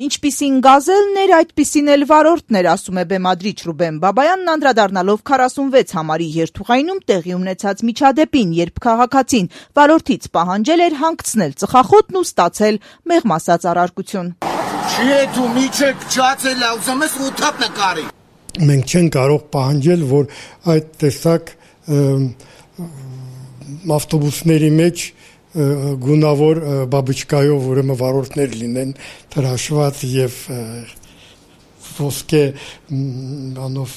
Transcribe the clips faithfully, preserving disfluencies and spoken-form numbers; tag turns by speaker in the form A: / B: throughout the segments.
A: Ինչպիսին գազելն էր, այդպիսին էլ վարորդն էր, ասում է բեմադրիչ Ռուբեն Բաբայանն, անդրադառնալով քառասունվեց համարի երթուղայինում տեղի ունեցած միջադեպին, երբ քաղաքացին վարորդից պահանջել էր հանգցնել ծխախոտն ու ստացել մեղմ ասած առարկություն։
B: Չի է դու միջեք ջացել է, ուզում ես ութապ նկարի։
C: Մենք չենք կարող պահանջել, որ այդ տեսակ ավտոբուսների մեջ գունավոր բաբուչկայով ուրեմն վարորդներ լինեն հրաշված եւ ոսկե անով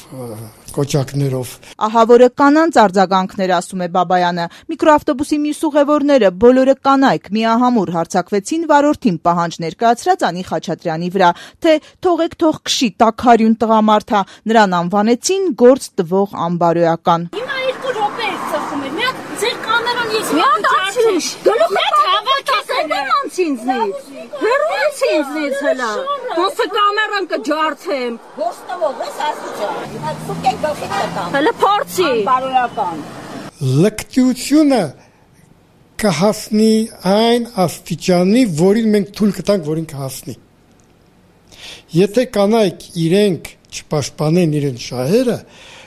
C: կոճակներով։
A: Ահա որը կանանց արձագանքներ, ասում է Բաբայանը։ Միկրոավտոբուսի մյուս ուղևորները բոլորը կանայք միահամուռ հարձակվեցին վարորդին պահանջ ներկայացրած Անի Խաչատրյանի վրա, թե թողեք թող քշի տաքարյուն տղամարդա, նրան անվանեցին գործ տվող անբարոյական։
D: Հիմա երկու րոպե է ծխում էր, միակ ձեր կամերան ես
E: միացրիշ, գլուխը հավաքեցել անց ինձնից, հեռուց ինձնից հլա, ոնց է կամերան կջարդեմ,
F: գործ տվող ես ասուչա, հիմա սուկեն գլխի տկամ,
E: հլը փորձի,
F: անբարոյական։
C: Լկտիությունը կհասնի այն աստիճանի, որին մենք թույլ կտանք, որին կհասնի։ Եթե կանայք իրենք չպաշտպանեն իրենց շահերը,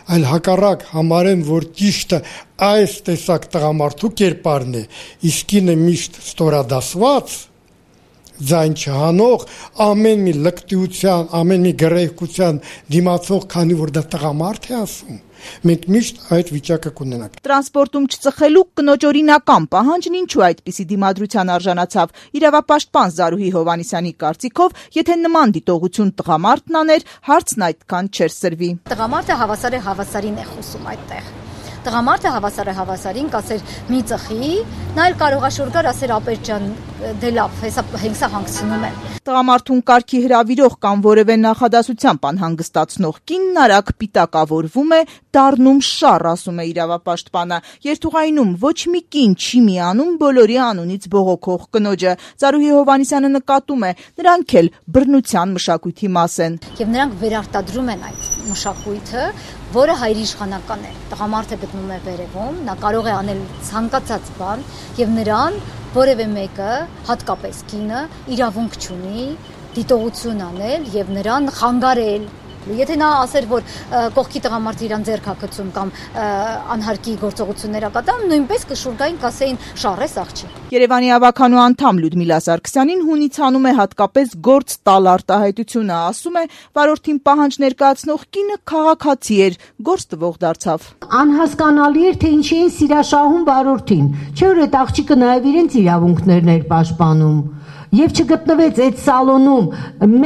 C: այլ հակառակ համարեն, որ ճիշտը այս տեսակ տղամարդու կերպարն է, իսկ ինը միշտ ստորադասված, ձայն չհանող, ամեն մի լկտիության, ամեն մի գռեհկության դիմացող, քանի որ դա տղամարդ է ասում, մենք միշտ այդ վիճակը կունենանք։
A: Տրանսպորտում չծխելու կնոջ օրինական պահանջն ինչու այդպիսի դիմադրության արժանացավ։ Իրավապաշտպան Զարուհի Հովհաննիսյանի կարծիքով, եթե նման դիտողություն տղամարդն աներ, հարցն այդքան չէր սրվի։
G: Տղամարդը հավասար է հավասարին է խոսում այդտեղ։ Տղամարդը հավասար է հավասարին, կասեր մի ծխի, նա էլ կարող է շուր գար ասեր ապեր ջան, դե լավ, հեսա հենքսա հանգցնում եմ։
A: Տղամարդուն կարգի հրավիրող կամ որևէ նախադասությամբ անհանգստացնող կինն արագ պիտակավորվում է, դառնում շառ, ասում է իրավապաշտպանը։ Երթուղայինում ոչ մի կին չի միանում բոլորի անունից բողոքող կնոջը։ Զարուհի Հովհաննիսյանը նկատում է, նրանք էլ բռնության մշակույթի մաս են։
G: Եվ նրանք վերարտադրում են այդ մշակույթը, որը հայրիշխանական է։ Տղամարդը գտնում է վերևում, նա կարող է անել ցանկացած բան եւ նրան որևէ մեկը, հատկապես կինը, իրավունք չունի դիտողություն անել եւ նրան խանգարել։ Եթե նա ասեր, որ կողքի տղամարդը իրան ձեռք հագցում կամ անհարկի գործողություններ կատարում, նույնպես կշուրգային կասեին շարես աղջի։
A: Երևանի ավականու անդամ Լյուդմիլա Սարգսյանին հունից հանում է հատկապես գործ տալ արտահայտությունը, ասում է, վարորդին պահանջ ներկայացնող կինը քաղաքացի էր, գործ տվող դարձավ։
H: Անհասկանալի էր, թե ինչի են սիրաշահում վարորդին, չէ՞ որ այդ աղջիկը նաև իրենց իրավունքներն էր պաշտպանում։ Եվ չգտնվեց այդ սալոնում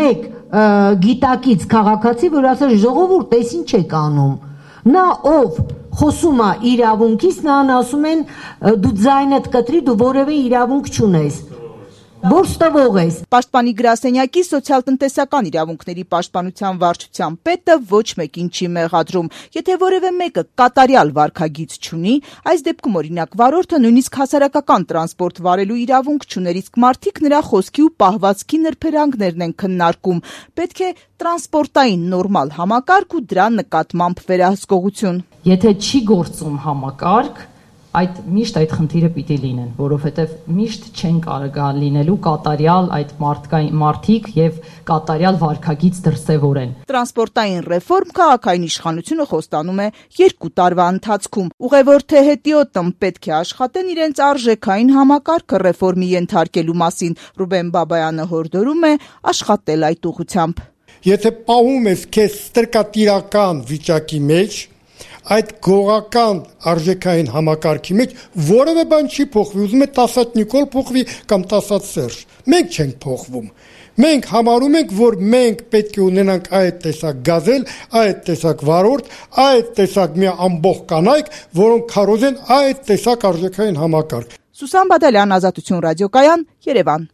H: մեկ գիտակից քաղաքացի, որ ասել ժողովուրդ, էս ինչ եք անում։ Նա ով խոսում է իրավունքից, նրան ասում են դու ձայնդ կտրի, դու որևէ իրավունք չունես։ Գործ տվող ես։
A: Պաշտպանի գրասենյակի սոցիալ-տնտեսական իրավունքների պաշտպանության վարչության պետը ոչ մեկին չի մեղադրում։ Եթե որևէ մեկը կատարյալ վարքագիծ չունի, այս դեպքում օրինակ վարորդը նույնիսկ հասարակական տրանսպորտ վարելու իրավունք չուներ, իսկ մարդիկ նրա խոսքի ու պահվածքի նրբերանգներն են քննարկում։ Պետք է տրանսպորտային նորմալ համակարգ ու դրա նկատմամբ վերահսկողություն։
I: Եթե չի գործում համակարգ, այդ միշտ այդ խնդիրը պիտի լինեն, որովհետև միշտ չեն կարող լինելու կատարյալ այդ մարդիկ եւ կատարյալ վարքագիծ դրսևորեն։
A: Տրանսպորտային ռեֆորմ քաղաքային իշխանությունը խոստանում է երկու տարվա ընթացքում։ Ուղևոր թե հետիոտն պետք է աշխատեն իրենց արժեքային համակարգը ռեֆորմի ենթարկելու մասին։ Ռուբեն Բաբայանը հորդորում է աշխատել այդ ուղղությամբ։
C: Եթե պահում ես քեզ ստրկատիրական վիճակի մեջ, այդ գողական արժեքային համակարգի մեջ որևէ բան չի փոխվի, ուզում է տասած Նիկոլ փոխվի կամ տասած Սերժ։ Մենք չենք փոխվում։ Մենք համարում ենք, որ մենք պետք է ունենանք այդ տեսակ գազել, այդ տեսակ վարորդ, այդ տեսակ մի ամբողջ կանայք, որոնք քարոզեն այդ տեսակ արժեքային համակարգ։
A: Սուսան Բադալյան, Ազատություն ռադիոկայան, Երևան։